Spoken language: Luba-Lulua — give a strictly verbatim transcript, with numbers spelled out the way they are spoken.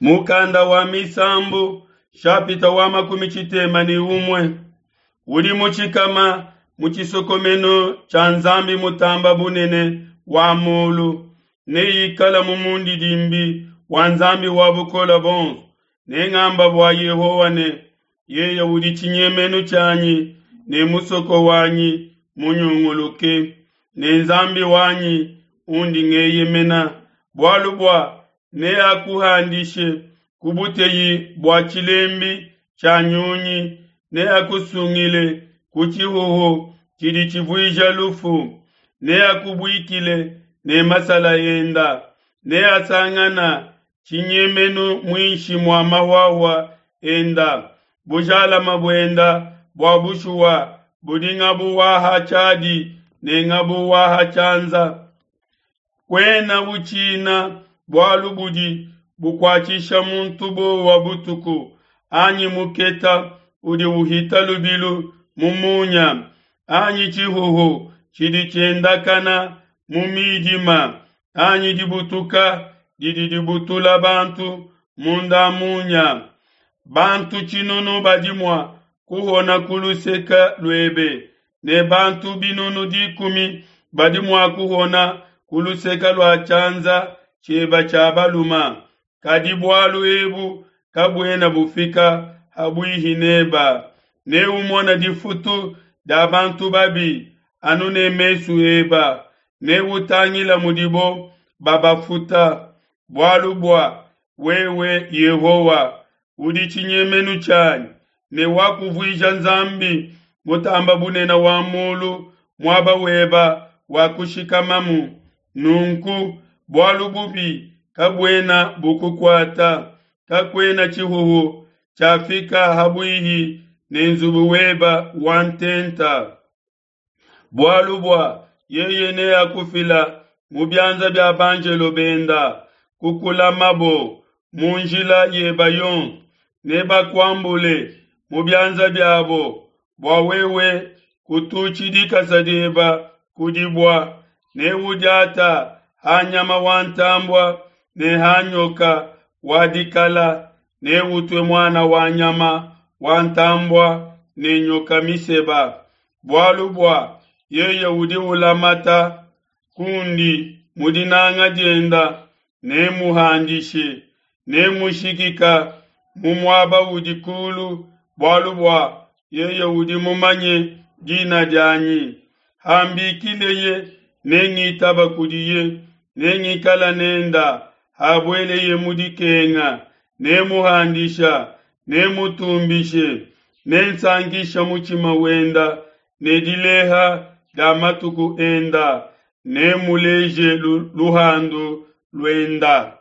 Mukanda wa Misambu shapita wa makumi tshitema ne umue udi mutshikama mu tshisokomenu tshia Nzambi mutamba bunene wa mulu neikala mu mundidimbi wa Nzambi wa bukole bonso. Nengamba bua Yehowa ne, yeye udi tshinyemenu tshianyi ne musoko wanyi munyunguluke, ne Nzambi wanyi undi ngeyemena, bualu bua neakuhandishe ku buteyi bua tshilembi tshia nyunyi, neakusungile ku tshihuhu tshidi tshivuija lufu, neakubuikile ne masala enda, neasangana tshinyemenu muinshi mua mahuahua enda. Bujalama buenda bua bushuwa budi ngabu wa ha tshiadi ne ngabu wa ha tshianza. Kuena utshina bualu budi bukuatshisha muntu buowa butuku, anyi muketa udi uhita lubilu mu munya, anyi tshihuhu tshidi tshiendakana mu midima, anyi dibutuka didi dibutula bantu munda munya. Bantu tshinunu badi mua kuhona ku luseke luebe, ne bantu binunu dikumi badi mua kuhona ku luseke lua tshianza tshiebe tshia balume, kadi bualu ebu kabuena bufika ha buihi neba. Neumone difutu dia bantu babi anu ne mesu eba, neutangila mudibo babafuta. Bualu bua wewe Yehowa udi tshinyemenu tshianyi, ne wakuvuija Nzambi mutamba bunene wa mulu muaba weba wa kushikamamu. Nunku bualu bubi kabuena bukukuata, kakuena tshihuhu tshiafika ha buihi ne nzubu weba wa ntenta. Bualu bua yeye neakufila mu bianza bia banjelo benda, kukulamabo mu njila yeba yonso, nebakuambule mu bianza biabo, bua wewe kututshi dikasa dieba ku dibua. Neudiata ha nyama wa ntambua ne ha nyoka wa dikala, neutue muana wa nyama wa ntambua ne nyoka miseba. Bualu bua yeye udi ulamata kundi mu dinanga dienda, nemuhandishe, nemushikika mu muaba udi kulu, bualu bua yeye udi mumanye dina dianyi. Hambikileye nengitaba kudiye, nengikala nenda habueleye mu dikenga, nemuhandisha, nemutumbishe, nensankisha mutshima wenda ne dileha dia matuku enda, nemuleje luhandu luenda.